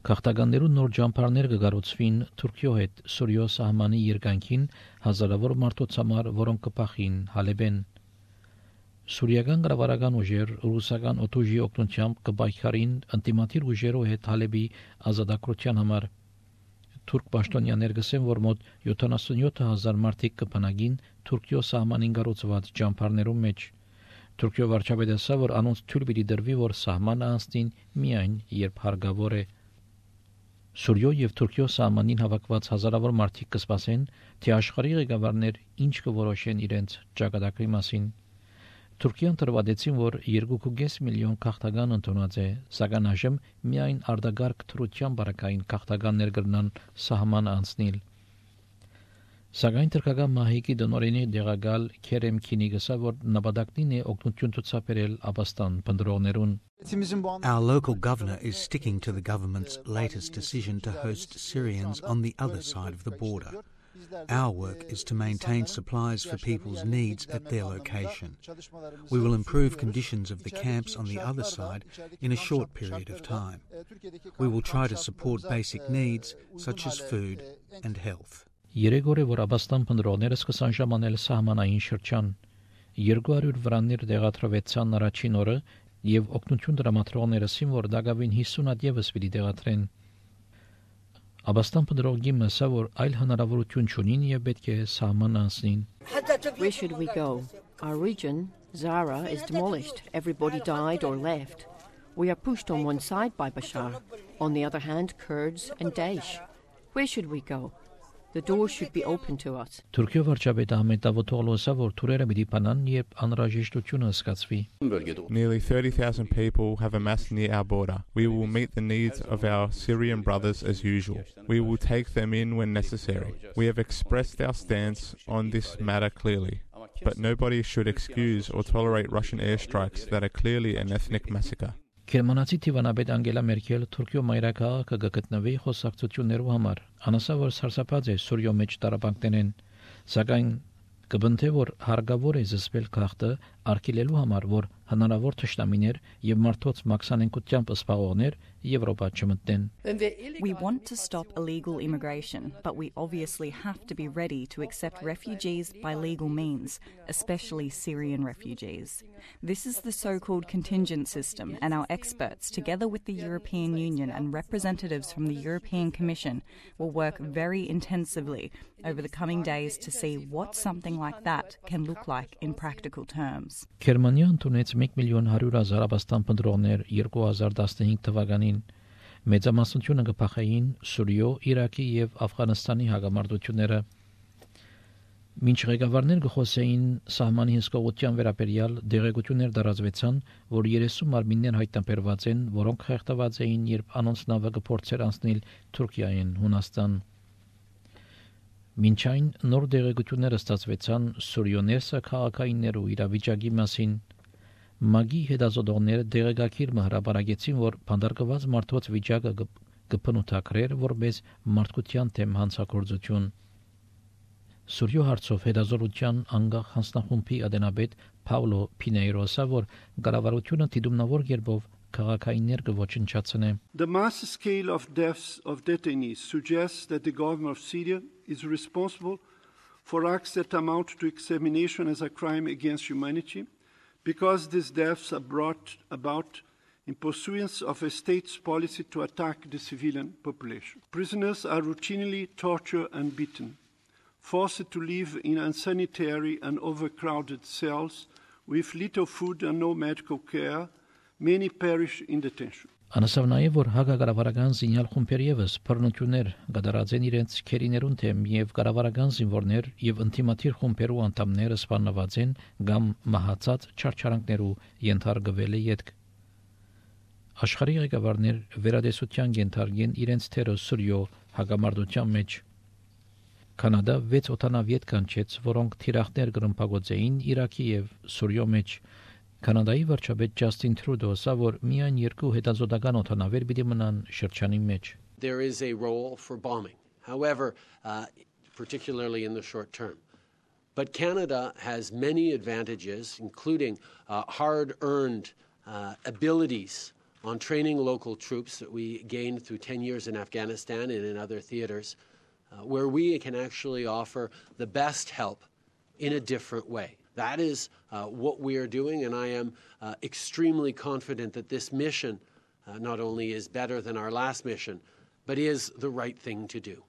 Քաղաքականներու նոր ջամփարներ կգառուցվին Թուրքիո հետ Սուրիո սահմանի երկայնքին հազարավոր մարդոց համար, որոնք կփախին Հալեբեն։ Սուրիական կառավարական ուժեր ռուսական օդուժի օգնությամբ կպայքարին անտիմատիր ուժերով հետ Հալեբի ազատագրության համար։ Թուրք պաշտոնյաներ գսեն, որ մոտ 77,000 մարդիկ կփնագին Թուրքիո սահմանին կառուցված ջամփարներում մեջ։ Թուրքիո վարչապետը ասա, որ անոնց թույլ պիտի դրվի, որ սահմանը անցնին միայն երբ հարկավոր է։ Սուրիո եւ Թուրքիո սահմանին հավաքված հազարավոր մարդիկ կսպասեն, թե աշխարհի ղեկավարներ ինչ կորոշեն իրենց ճակատագրի մասին։ Թուրքիան տրվադեցին, որ 2.5 միլիոն քաղաքական ընդունած է, սակայն այժմ միայն արդագարգ թրության բարակային քաղաքականներ կրնան սահման անցնել։ Սակայն թրքական մահիկի դնորենի դեղագալ Քերեմ Քինի գսա, որ նպատակն է օգնություն ցուցաբերել Աբաստան բնդրողներուն։ Our local governor is sticking to the government's latest decision to host Syrians on the other side of the border. Our work is to maintain supplies for people's needs at their location. We will improve conditions of the camps on the other side in a short period of time. We will try to support basic needs such as food and health. Երեք օր է, որ Աբաստան բնդրողները սկսան ժամանել սահմանային շրջան։ 200 վրաններ դեղատրվեցան առաջին օրը եւ օգնություն դրամատրողները ասին, որ դակավին 50 հատ եւս պիտի դեղատրեն։ Աբաստան բնդրողի մասը, որ այլ հնարավորություն չունին եւ պետք է սահման անցնին։ Where should we go? Our region, Zara, is demolished. Everybody died or left. We are pushed on one side by Bashar, on the other hand, Kurds and Daesh. Where should we go? The door should be open to us. Թուրքիո վարչապետը Ahmet Davutoglu ասա, որ թուրերը պիտի բանան, երբ անհրաժեշտությունը սկսվի։ Nearly 30,000 people have amassed near our border. We will meet the needs of our Syrian brothers as usual. We will take them in when necessary. We have expressed our stance on this matter clearly, but nobody should excuse or tolerate Russian airstrikes that are clearly an ethnic massacre. Գերմանացի Տիվանաբեդ Անգելա Մերկել Թուրքիո մայրաքաղաքը կգտնվի խոսակցություններով համար։ Անասա որ սարսափած է Սուրիո մեջ տարապանքներեն, սակայն կբնթե որ հարգավոր է զսպել քաղաքը արգելելու համար, որ հնարավոր թշնամիներ եւ մարդոց մաքսանենկությամբ սպաղողներ Եվրոպա չմտնեն։ We want to stop illegal immigration, but we obviously have to be ready to accept refugees by legal means, especially Syrian refugees. This is the so-called contingent system, and our experts, together with the European Union and representatives from the European Commission, will work very intensively over the coming days to see what something like that can look like in practical terms. Գերմանիան ունեց 1,100,000 Աբաստան բնդրողներ 2015 թվականին։ Մեծամասնությունը կփախեին Սուրիո, Իրաքի եւ Աֆղանստանի հակամարտությունները։ Մինչ ղեկավարներ կխոսեին սահմանի հսկողության վերաբերյալ դեղեցություններ դարածվեցան, որ 30 մարմիններ հայտնաբերված են, որոնք խեղդված էին, երբ անոնց նավը կփորձեր անցնել Թուրքիային Հունաստան։ Մինչ այն նոր դեղեցություններ ստացվեցան Սուրիոներսը քաղաքայիններու իրավիճակի մասին։ Մագի հետազոտողները դեղեկագիր հրապարակեցին, որ բանդարկված մարդոց վիճակը կփնութակրեր որպես մարդկության դեմ հանցագործություն։ Սուրիո հարցով հետազոտության անգախ հանձնախումբի ադենաբեդ Պաուլո Պինեյրոսը, որ կառավարությունը դիտումնավոր կերպով քաղաքայիններ կոչնչացնե։ The mass scale of deaths of detainees suggests that the government of Syria is responsible for acts that amount to extermination as a crime against humanity, because these deaths are brought about in pursuance of a state's policy to attack the civilian population. Prisoners are routinely tortured and beaten, forced to live in unsanitary and overcrowded cells with little food and no medical care. Many perish in detention. Անասավ նաև որ հակակառավարական զինյալ խումբեր եւս բռնություններ կդարած են իրենց քերիներուն թեմ եւ կառավարական զինվորներ եւ ինտիմատիր խումբերու անդամները սպանված են կամ մահացած չարչարանքներու ենթարկվել է յետք։ Աշխարհի ղեկավարներ վերադեսության ենթարկեն իրենց թերը Սուրիո հակամարտության մեջ։ Կանադա 6 օտանավիետ կանչեց, որոնք թիրախներ գրմփագոծեին Իրաքի եւ Սուրիո մեջ։ Կանադայի վարչապետ Ջասթին Թրուդո ասա, որ միայն երկու հետազոտական օտանավեր պիտի մնան շրջանի մեջ։ There is a role for bombing, however, particularly in the short term. But Canada has many advantages, including hard-earned abilities on training local troops that we gained through 10 years in Afghanistan and in other theaters, where we can actually offer the best help in a different way. That is what we are doing, and I am extremely confident that this mission not only is better than our last mission, but is the right thing to do.